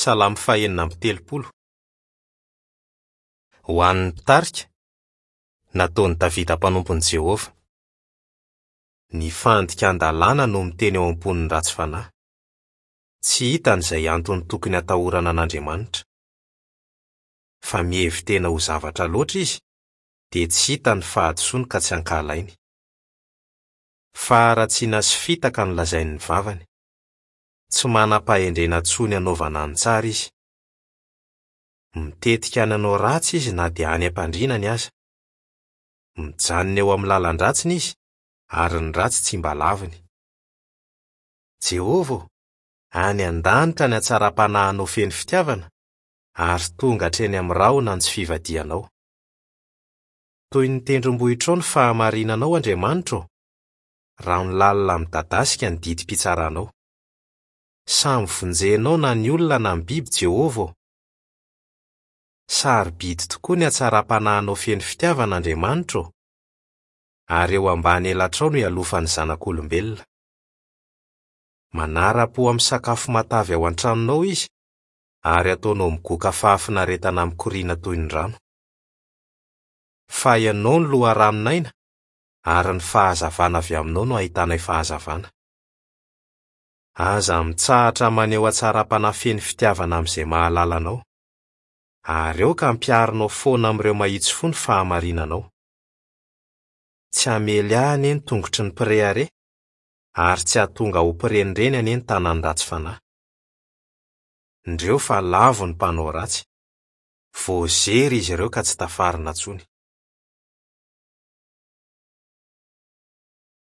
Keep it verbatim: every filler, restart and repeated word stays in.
Salamo fahenina amby telopolo. Ho an'ny mpitarika, nataon'i Davida mpanompon'i Jehovah. Ny fandikan-dalàna no miteny ao am-pon'ny ratsy fanahy. Tsy hitany izay antony tokony hatahorana an'Andriamanitra. Fa mihevi-tena ho zavatra loatra izy, dia tsy hita ny fahadisoany ka tsy ankahalainy. Faharatsiana sy fitaka no lazain'ny vavany. Tsy manam-pahendrena intsony hanaovana ny tsara izy. Mitetika ny hanao ratsy izy na dia any am-pandrinany aza. Mijanona eo amin'ny lalan-dratsiny izy, ary ny ratsy tsy mba laviny. Jehovah ô, any an-danitra ny hatsaram-panahinao feno fitiavana, ary tonga hatreny amin'ny rahona ny tsy fivadihanao. Toy ny tendrombohitrao ny fahamarinanao, Andriamanitra ô, rano lalina midadasika ny didim-pitsaranao. Samy vonjenao na ny olona na ny biby, Jehovah ô. Sarobidy tokoa ny hatsaram-panahinao feno fitiavana, Andriamanitra ô, ary eo ambany elatrao no ialofan'ny zanak'olombelona. Manara-po amin'ny sakafo matavy ao an-tranonao izy, ary ataonao migoka fahafinaretana mikoriana toy ny rano. Fa ianao no loharanon'aina, ary ny fahazavana avy aminao no ahitanay fahazavana. Aza mitsahatra maneho hatsaram-panahy feno fitiavana amin'izay mahalala anao, ary aoka hampiharinao foana amin'ireo mahitsy fo ny fahamarinanao. Tsy hamely ahy anie ny tongotry ny mpirehareha, ary tsy hahatonga ho mpirenireny anie ny tanan'ny ratsy fanahy. Indreo fa lavo ny mpanao ratsy. Voazery izy ireo ka tsy tafarina intsony.